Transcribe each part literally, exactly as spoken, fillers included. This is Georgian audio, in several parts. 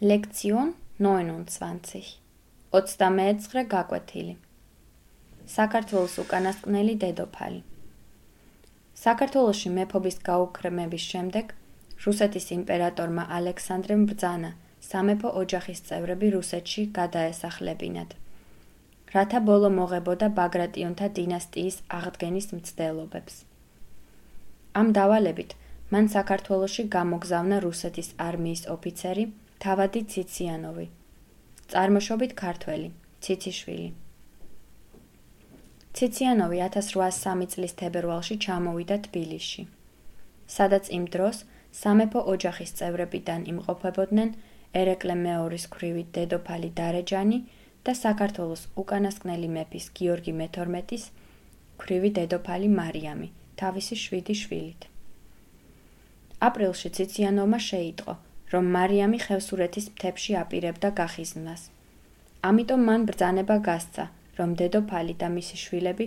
Lektion neunundzwanzig. ოცდამეცხრე გაკვეთილი. საქართველოს უკანასკნელი დედოფალი. საქართველოში მეფობის გაუქმების შემდეგ რუსეთის იმპერატორმა ალექსანდრემ ბრძანა სამეფო ოჯახის წევრები რუსეთში გადაესახლებინათ, რათა ბოლო მოღებოდა ბაგრატიონთა დინასტიის აღდგენის მცდელობებს. ამ დავალებით მან საქართველოში გამოგზავნა რუსეთის არმიის ოფიცერი თავადი ციციანოვი, წარმოშობით ქართველი, ციციშვილი. ციციანოვი ათას რვაასი სამი წლის თებერვალში ჩამოვიდა თბილისში, სადაც იმ დროს სამეფო ოჯახის წევრებიდან იმყოფებოდნენ ერეკლე მეორის ქვრივი დედოფალი დარეჯანი და საქართველოს უკანასკნელი მეფის გიორგი მეთორმეტის ქვრივი დედოფალი მარიამი, თავისი შვიდი შვილით. აპრილში ციციანოვმა შეიტყო, რომ მარიამი ხევსურეთის მთებში აპირებდა გახიზნვას. ამიტომ მან ბრძანება გასცა, რომ დედოფალი და მისი შვილები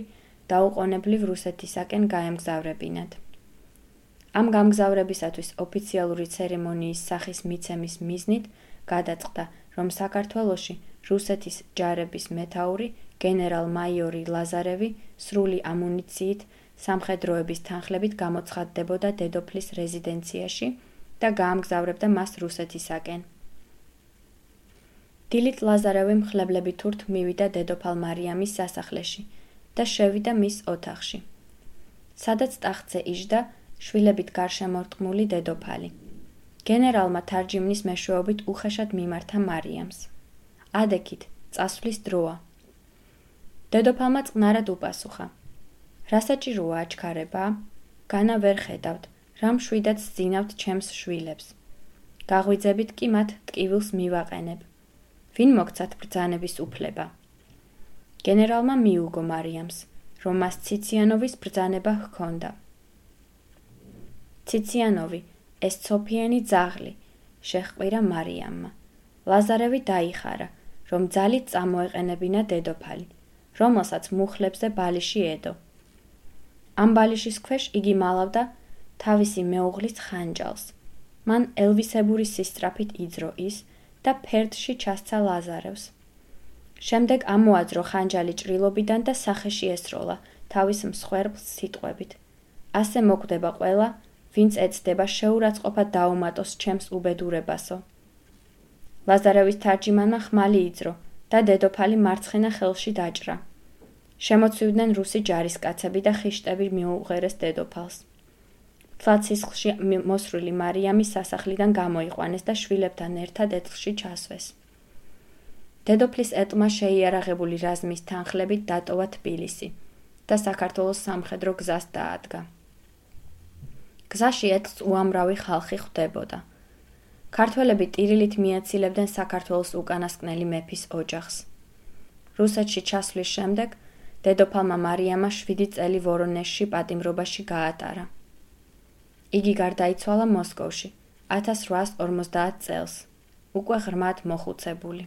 დაუყოვნებლივ რუსეთისაკენ გაემგზავრებინათ. ამ გამგზავრებისათვის ოფიციალური ცერემონიის სახის მიცემის მიზნით გადაწყდა, რომ საქართველოში რუსეთის ჯარების მეთაური გენერალ-მაიორი ლაზარევი სრული ამუნიციით, სამხედროების თანხლებით გამოცხადდებოდა დედოფლის რეზიდენციაში და გაამგზავრებდა მას რუსეთისაკენ. დილით ლაზარევი მხლებლები თურთ მივიდა დედოფალ მარიამის სასახლეში და შევიდა მის ოთახში, სადაც ტახტზე იჯდა შვილებით გარშემორტყმული დედოფალი. გენერალმა თარჯიმნის მეშვეობით უხეშად მიმართა მარიამს. ადექით, წასვლის დროა. დედოფალმა წყნარად უპასუხა. რა საჭიროა აჩქარება? განა ვერ ხედავთ, რა მშვიდად სძინავთ ჩემს შვილებს. გაღვიძებით კი მათ ტკივილს მივაყენებ. ვინ მოგცათ ბრძანების უფლება? გენერალმა მიუგო მარიამს, რომ მას ციციანოვის ბრძანება ჰქონდა. ციციანოვი, ეს ცოფიენი ძაღლი, შეჰყვირა მარიამმა. ლაზარევი დაიხარა, რომ ძალით წამოეყენებინა დედოფალი, რომელსაც მუხლებზე ბალიში ედო. ამ ბალიშის ქვეშ იგი მალავდა თავისი მეუღლის ხანჯალს. მან ელვისებური სისწრაფით იძრო ის და ფერდში ჩასცა ლაზარევს. შემდეგ ამოაძრო ხანჯალი ჭრილობიდან და სახეში ესროლა თავის მსხვერპლს სიტყვებით. ასე მოკვდება ყველა, ვინც ეცდება შეურაცხყოფად დაუმატოს ჩემს უბედურებასო. ლაზარევის თარჯიმანმა ხმალი იძრო და დედოფალი მარცხენა ხელში დაჭრა. შემოცვიდნენ რუსი ჯარისკაცები და ხიშტები მიუღერეს დედოფალს. თვალცისხლში მოსრული მარიამი სასახლიდან გამოიყვანეს და შვილებთან ერთად ეთლში ჩასვეს. დედოფლის ეტლმა შეიარაღებული რაზმის თანხლებით დატოვა თბილისი და საქართველოს სამხედრო გზას დაადგა. გზაში ეთლს უამრავი ხალხი ხვდებოდა. ქართველები ტირილით მიაცილებდნენ საქართველოს უკანასკნელი მეფის ოჯახს. რუსეთში ჩასვლის შემდეგ დედოფალმა მარიამა შვიდი წელი ვორონეჟში პატიმრობაში გაატარა. იგი გარდაიცვალა მოსკოვში ათას რვაასი ორმოცდაათ წელს, უკვე ღრმად მოხუცებული.